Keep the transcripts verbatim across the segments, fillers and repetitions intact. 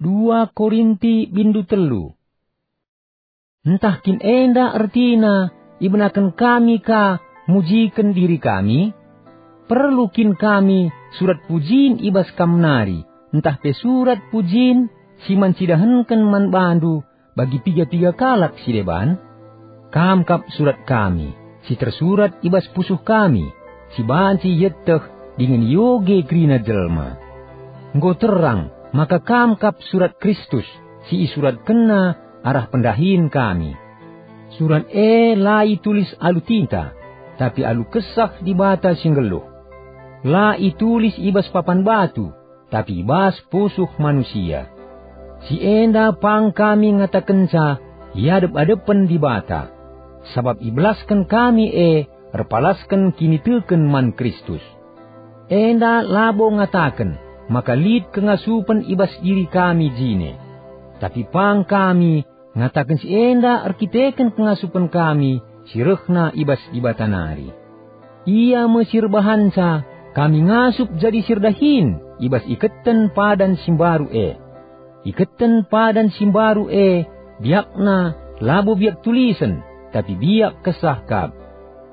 Dua Korinti bindu telu. Ntah kin enda ertina ibenaken kami ka mujiken diri kami? Perlu kin kami surat pujin i bas kam nari, ntah pe surat pujin si man cidahenken man bandu bagi piga-piga kalak si deban? Kam kap surat kami, si tersurat i bas pusuh kami, si banci ieteh dingen ioge kerina jelma. Enggo terang maka kam kap surat Kristus, si isuratkenNa arah pendahin kami. Surat e la itulis alu tinta, tapi alu Kesah Dibata si nggeluh. La itulis i bas papan batu, tapi i bas pusuh manusia. Si enda pang kami ngatakenca i adep-adepen Dibata, sabap ibelasken kami e erpalasken kiniteken man Kristus. Enda labo ngataken maka lit kengasupen i bas diri kami jine, tapi pang kami ngataken si enda erkiteken kengasupen kami si rehna i bas Dibata nari. Ia me si erbahanca kami ngasup jadi si erdahin i bas iketen padan si mbaru e. Iketen padan si mbaru e biakna labo biak tulisen, tapi biak Kesah kap.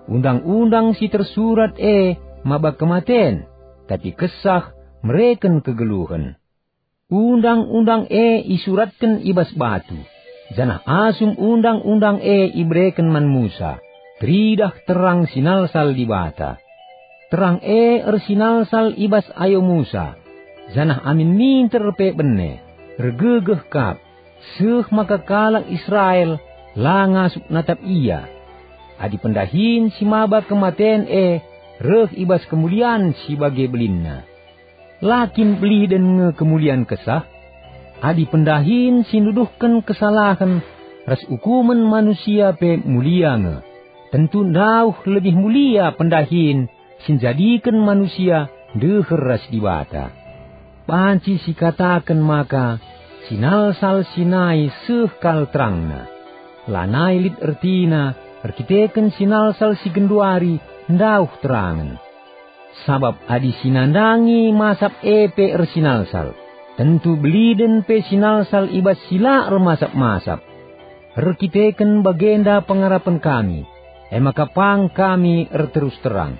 Undang-undang si tersurat e maba kematen, tapi Kesah mereken kegeluhen. Undang-undang e isuratken i bas batu, janah asum undang-undang e ibereken man Musa, teridah terang si nalsal Dibata. Terang e ersinalsal i bas ayo Musa, janah amin minter pe bene, ergegeh kap, seh maka kalak Israel la ngasup natap ia. Adi pendahin si maba kematen e reh i bas kemulian si bage belinna, la kin beliden nge kemulian Kesah? Adi pendahin si nuduhken kesalahen ras ukumen manusia pe mulia nge, tentu ndauh lebih mulia pendahin si njadiken manusia ndeher ras Dibata. Banci sikataken maka sinalsal si nai seh kal terangna. Lanai lit ertina erkiteken sinalsal si genduari ndauh terangen. Sabap adi si nandangi masap e pe ersinalsal, tentu beliden pe sinalsal i bas si la ermasap-masap. Erkiteken bagenda pengarapen kami, e maka pang kami erterus terang.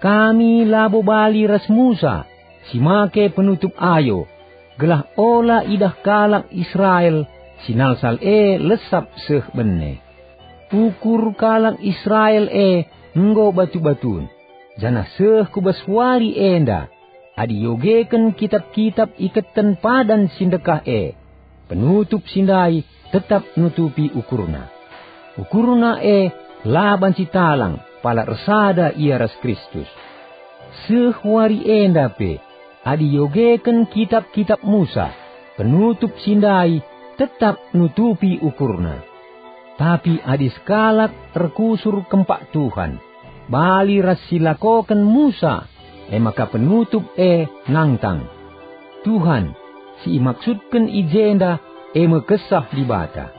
Kami labo bali ras Musa, si make penutup ayo, gelah ola idah kalak Israel si nalsal e lesap seh bene. Ukur kalak Israel e enggo batu-batun, janah seh ku bas wari enda, adi iogeken kitap-kitap iketen padan si ndekah e, penutup si ndai tetap nutupi ukurna. Ukurna e la banci talang pala ersada ia ras Kristus. Seh wari enda pe, adi iogeken kitap-kitap Musa, penutup si ndai tetap nutupi ukurna. Tapi adi sekalak erkusur kempak Tuhan, bali ras si lakoken Musa, e maka penutup e nangtang. Tuhan, si imaksudken i jenda, e me Kesah Dibata.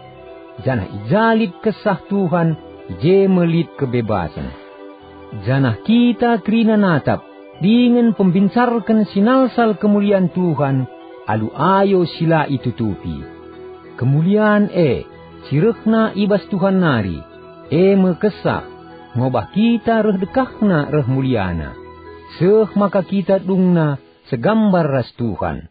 Janah i ja lit Kesah Tuhan, i je me lit kebebasen. Janah kita kerina natap dingen pembincarken sinalsal kemulian Tuhan alu ayo si la itutupi. Kemulian e, si rehna i bas Tuhan nari, e me Kesah, ngobah kita reh dekahna reh muliana, seh maka kita dungna segambar ras Tuhan.